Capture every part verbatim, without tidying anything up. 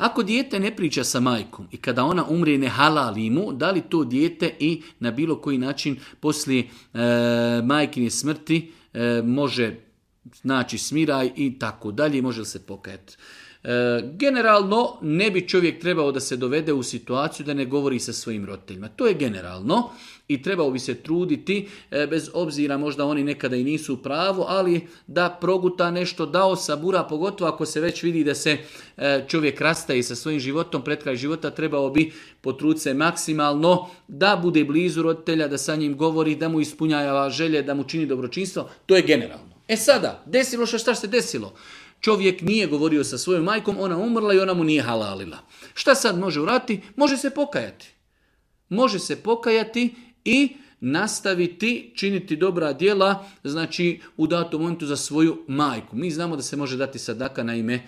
Ako dijete ne priča sa majkom i kada ona umrije ne halali mu, da li to dijete i na bilo koji način poslije e, majkine smrti e, može naći smiraj i tako dalje, može li se pokajati. E, generalno ne bi čovjek trebao da se dovede u situaciju da ne govori sa svojim roditeljima. To je generalno i trebao bi se truditi, e, bez obzira možda oni nekada i nisu u pravu, ali da proguta nešto, da osabura, pogotovo ako se već vidi da se e, čovjek rastaje sa svojim životom, pred kraj života, trebao bi potruditi se maksimalno da bude blizu roditelja, da sa njim govori, da mu ispunjava želje, da mu čini dobročinstvo. To je generalno. E sada, desilo što šta se desilo? Čovjek nije govorio sa svojom majkom, ona umrla i ona mu nije halalila. Šta sad može uraditi? Može se pokajati. Može se pokajati i nastaviti činiti dobra djela, znači u datom momentu za svoju majku. Mi znamo da se može dati sadaka na ime e,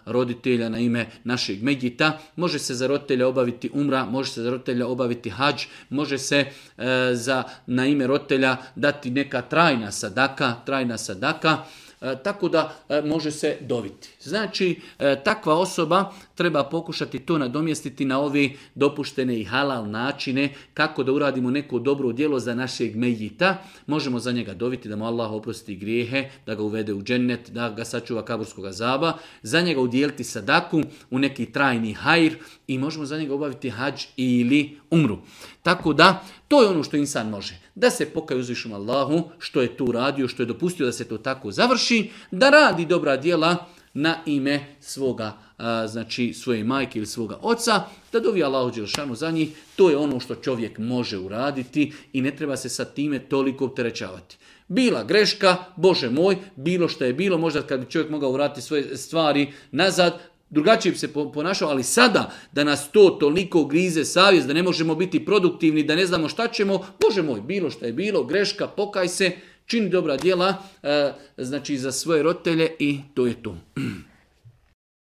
roditelja, na ime našeg medjita, može se za roditelja obaviti umra, može se za roditelja obaviti hadž, može se e, za, na ime roditelja dati neka trajna sadaka, trajna sadaka, E, tako da e, može se doviti. Znači, e, takva osoba treba pokušati to nadomjestiti na ove dopuštene i halal načine kako da uradimo neko dobro djelo za našeg mejita. Možemo za njega doviti da mu Allah oprosti grijehe, da ga uvede u džennet, da ga sačuva kaburskog azaba, za njega udjeliti sadaku u neki trajni hajr i možemo za njega obaviti hadž ili umru. Tako da, to je ono što insan može. Da se pokaje uzvišenom Allahu što je tu radio, što je dopustio da se to tako završi, da radi dobra djela na ime svoga, a, znači svoje majke ili svoga oca, da dovi Allahu dželešanu za njih. To je ono što čovjek može uraditi i ne treba se sa time toliko opterećavati. Bila greška, Bože moj, bilo što je bilo, možda kad bi čovjek mogao vratiti svoje stvari nazad, drugačije bi se ponašao, ali sada da nas to toliko grize savjest, da ne možemo biti produktivni, da ne znamo šta ćemo, Bože moj, bilo što je bilo, greška, pokaj se, čini dobra djela, e, znači za svoje roditelje i to je to.